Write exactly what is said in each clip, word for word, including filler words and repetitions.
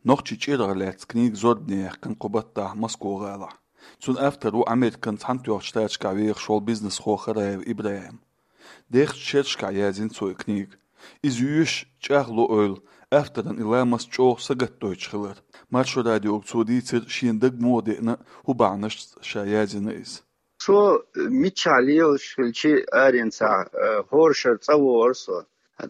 Нохчийн чӀирах лаьцна книга зорбане яьккхина кху баттахь Москва-гӀалахь. Цуьнан автор ву Американ Цхьаьнатоьхначу Штаташкахь вехаш волу бизнесхо Хараев ИбрахӀим. Дехачу шерашкахь яздина цо и книга. Иза йоьшуш чӀагӀло ойла, авторан и ламаст чӀогӀа сагатдойтуш хилар. Маршо радиога цо дийцира шена дага муха деана, хӀун бахьанашца ша яздина иза. Со миччахь лелаш хилчи аренца, э, хӀора шарахь цӀа вогӀура со.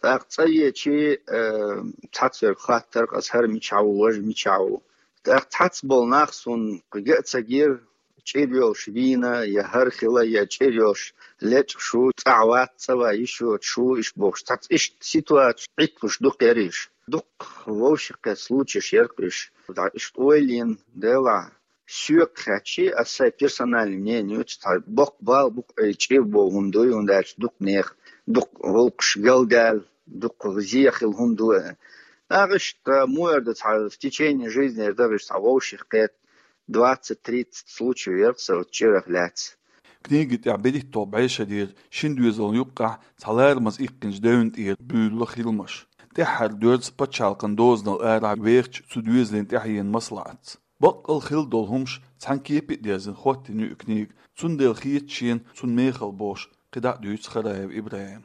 ТӀаккха цӀа веачи, э, цхьацца верг хоттура, аса хӀара мичахь ву, важа мичахь ву. ТӀаккха цхьацца болу нах суна кхин а ца гира, чӀир йолуш вийна, я хӀара хила, я чӀир йолуш лечкъаш ву, цӀахь вац, цӀа ван йиш йоцуш ву, иштта бохуш. Цхьацца иштта ситуацеш Ӏитталуш дукха яра уьш. Дукха вовшахкхетта случаеш яра-кх уьш. Иштта ойла йина, делахь, соьга хаьттичи, аса сайн персональный мнение ю, цхьа боккха бала бу-кх и чӀир боху хӀума дуй, хӀунда аьлча дукха нехан, дукха гӀуллакхаш галдаьлла, дукха зе хилла хӀума ду. ТӀаккха иштта муха эр ду, цхьа в течение жизни эр дара уьш, цхьа вовшахкхетта, двадцать-тридцать случаев яра-кх сан оцу чӀирах лаьцна. Книги тӀехь берхӀитталгӀа бӀешарера шина доьзална юккъехь цхьа ларамаза иккхинчу девнна тӀера буьйлу хиламаш. ТӀаьххьара доьрзу пачхьалкхан дозанал арахь вехачу цу доьзалийн тӀаьхьенан маслаӀатца. Баккъал хилла долу хӀумаш цхьана кепе а дерзина хӀоттийна ю и книга, цундела хета шена цунна мехала бохуш, кхидӀа а дуьйцу Хараев ИбрахӀима.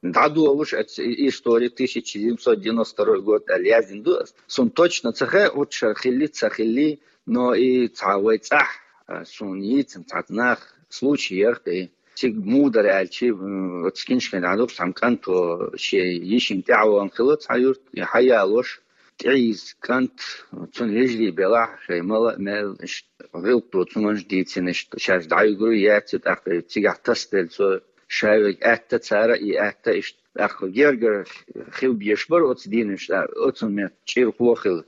ДӀадолуш оцу и-, история тысяча семьсот девяносто второй год аьлла яздина ду аса. Суна точно ца хаьа, оцу шарахь хилли, ца хилли, но и цхьа вай цӀахь, а, суна йийцина цхьацца нах случай яра-кх и. Цига муха дара аьлчи, м, оцу киншкин дӀадуьгуш цхьана кӀанто шен йишина тӀаьхьавогӀун хилла цхьа юрта, и хьаялош, тӀеийза кӀант, цунна вежарий белахь, шайн мала а мел, иштта гӀиллакх доцу хӀуманаш дийцина, иштта шаьш дӀайуьгур яц, тӀаккха цигахь тасаделла цо ша верг аьтта цара, и аьтта иштта тӀаккха гергара хила безаш бара оцу дийнахь, оцу метта чӀирхо а хилла.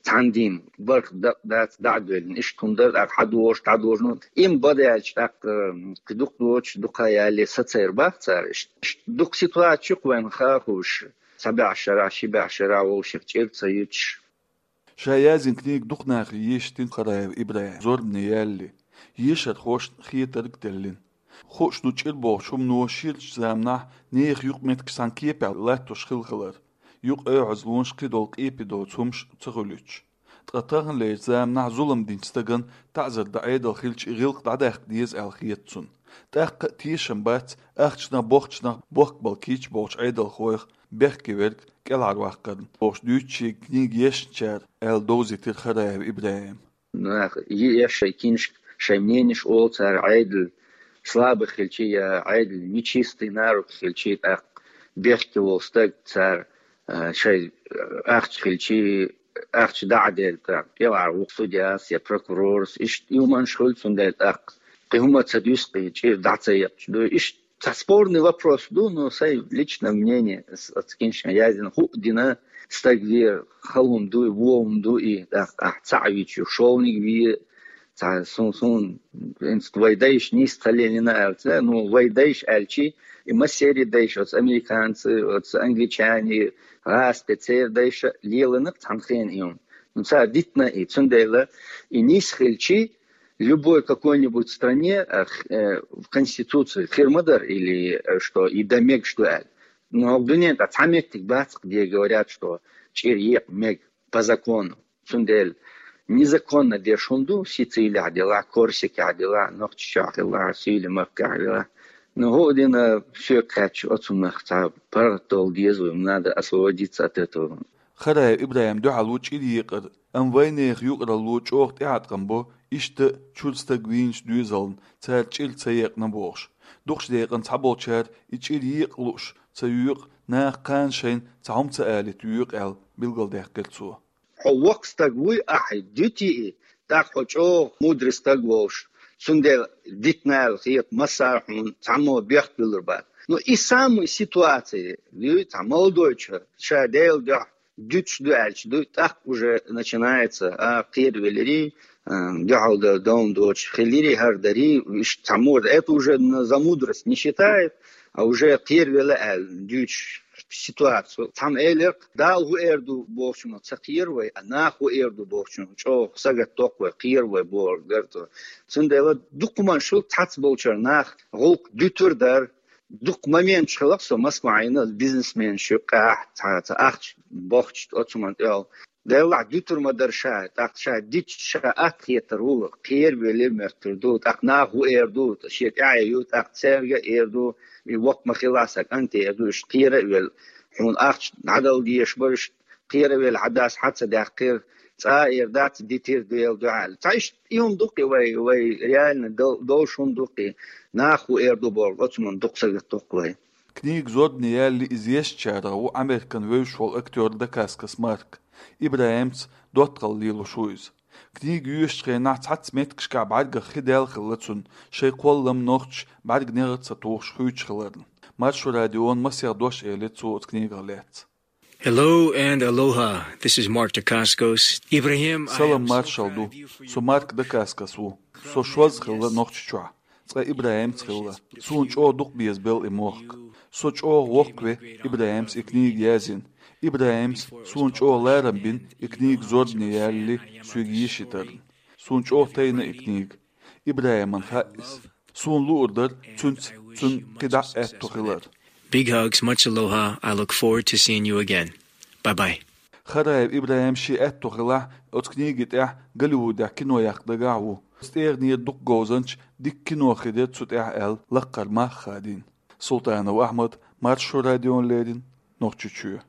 Цхьана дийнахь бархӀ дакъа дац дӀа а доьллина, иштта хӀума дара, тӀаккха хьадогӀуш, дӀадожуш. Имма бадаьлча тӀаккха, м, кхин дукха доцуш, дукха ялале сацийр бац цара иштта. Иштта дукха ситуацеш ю-кх вайна хаа хууш, цхьа бӀешарахь, ши бӀешарахь вовшех чӀир ца юьтуш. Ша яздина книга дукха нахе ешийтина Хараев ИбрахӀима зорбане ялале, ешархошна хетарг а деллина. Хууш ду чӀир бохучу хӀумано ширачу заманахь нехан юкъаметтигаш цхьана кепехь латтош хилла хилар, юкъа оьгӀазлонаш, кхидолу къепе доцу хӀумаш ца хуьлуьйтуш. Ткъа таханлерчу заманахь зулам динчу стагана таӀзар дан Ӏедал хилча, и гӀиллакх дӀадаккха деза аьлла хета цунна. ТӀаккха а тешам бац ахчанах, бохчанах бохкабала кийча болчу Ӏедалхойх бехке верг кӀелхьарваккхарна, бохуш дуьйцу шега книга ешначара, аьлла довзийтира Хараев ИбрахӀима. Нах е-, еш шайн киншка, шайн мненеш олу цара, Ӏедал слабый хилчи я Ӏедал нечистый на руку хилчи, тӀаккха бехке волу стаг цара, а, шайн, а, ахча хилчи, ахча дӀа а делла, тӀаккха кӀелхьара ву-кх судьяс я прокурорс, иштта и хӀуманаш хуьлу, цундела тӀаккха кхин хӀума ца дуьсу, кхин чӀир дӀа ца екъча ду. Иштта цхьа спорный вопрос ду, но сайн личное мнение, с-, оцу киншкина яздина, хӀуъа дина, стаг вер, хала хӀума ду и, вон хӀума ду и, тӀаккха ахь цхьаъ вича, шолгӀаниг ве, цхьа сун, сун, хӀинца вай дайша нийса ца лелийна аьлла ца, ну, вай дайша аьлчи, и массеран дайша, оцу американцы, оцу англичане, гӀазкхи церан дайша лелийна-кх цхьана хенахь и хӀума. Ну, цара дитина и, цундела и нийса хилчи, любой какой-нибудь стране, а, х-, э, в Конституции хир ма дара или, э, что и дан мегаш ду аьлла. Но хӀокху дуьнен тӀехь цхьа меттиг бац-кх, где говорят, что чӀир екъа мега по закону. Цундела незаконно деш хӀума ду, Сицилехь делахь, Корсикехь делахь, Нохчийчохь хилахь, Сийлен-Махкахь делахь. Ну, хӀуъа дина, соьга хаьттича, оцунах цхьа паргӀат довла деза вай, надо освободиться от этого. Хараев ИбрахӀима дуьхьал ву чӀир екъар, амма вайнехан юкъаралло чӀогӀа тӀеӀаткъам бо, иштта чуьра стаг вийначу доьзална цара чӀир ца екъна бохуш. Дукхачу декъана цхьаболчара и чӀир екъа лууш ца йоькъу, наха кхана шайна цхьа хӀума ца алийта йоькъу аьлла, билгалдаьккхира цо. Хьо воккха стаг вуй, ахь дуьтий и, тӀаккха хьо чӀогӀа мудрый стаг волуш, цундела дитина аьлла хета массара а хьуна, цхьаммо бехк буьллур бац. Ну, и самая ситуация, дуй, цхьа молодой чо, ша Делан дуьхьа дуьтуш ду аьлча, дуй, тӀаккха уже начинается, а, кхеравелирий, а, дуьхьал дан довна доцуш хилирий, хӀара дарий, иштта цхьаммо, это уже на-, за мудрость не считает, а уже кхеравелла аьлла дуьйцуш ситуацию. Цхьамма элира-кх, Дала хӀун эр ду бохучунах ца кхера вай, а наха хӀун эр ду бохучунах чӀогӀа сагатдоккху вай, кхера вай бохург дара цо. Цундела дукха хӀуманаш хуьлу, цхьацца болчара наха гӀуллакх дуьтур дара. Дукха моменташ хилла-кх со Москва Ӏийна, бизнесменаш юккъехь, цхьа, цхьа ахча бохча оцу хӀуманна тӀехула. Деллахь, дитур ма дара ша, тӀаккха ша дича ша атта хетар ву, кхера веле моьттур ду, тӀаккха наха ву эр ду, шен тӀаьхье ю, тӀаккха цаьрга эр ду, и воккха ма хилла сан кӀанте эр ду, иштта кхера а велла. Хьуна ахча дӀадала дезаш бара, иштта кхера а велла, хьадас хьа ца даьккхира, цкъа а эр дац, дитира Дела дуьхьал. Цхьа иштта и хӀума дукха вай, вай реально дол-, долуш хӀума дукха, наха ву эр ду бохург, оцу хӀуманна дукха сагатдоккху вай. Книга зорбане яьлла иза ешначарах ву Американ вевзаш волу актёр Дакаскас Марк, ИбрахӀимца доттагӀалла лелош ву иза. Книга йоьшучу хенахь цхьацца меттигашкахь бӀаьргах хи даьлла хилла цунна, шайн кхоллам нохчаша бӀаьрган негӀар ца тухуш хуьйцуш хиларна. Маршо радион масех дош элира цо оцу книгах лаьцна. Hello and aloha. This is Mark Dacascos. Ibrahim, I Салам am so маршалла ду. Proud of you for your Со Марк Дакаскас ву. Со шозза хилла Нохчийчохь. Цкъа ИбрахӀимца хилла. Суна чӀогӀа дукха безабелла и мохк. Со чӀогӀа воккхаве ИбрахӀимца и книга язйина. ИбрахӀимс суна чӀогӀа ларам бина и книга зорбане ялале соьга йиш йитарна. Суна чӀогӀа тайна и книга. ИбрахӀиман хаьа иза. Суна луур дара цуьнца цуьнан кхидӀа а аьтто хилар. Big hugs, much aloha. I look forward to seeing you again. Bye bye. Хараев ИбрахӀим шен аьтто хилахь, оцу книги тӀехь Голливудехь кино яккха дагахь а ву. Оцу тӀегӀанера дукха говзанча дика кино хир дара цу тӀехь аьлла, лаккхара мах а хадийна. Султанов Ахьмад, Маршо радиона леррина, Нохчийчоь.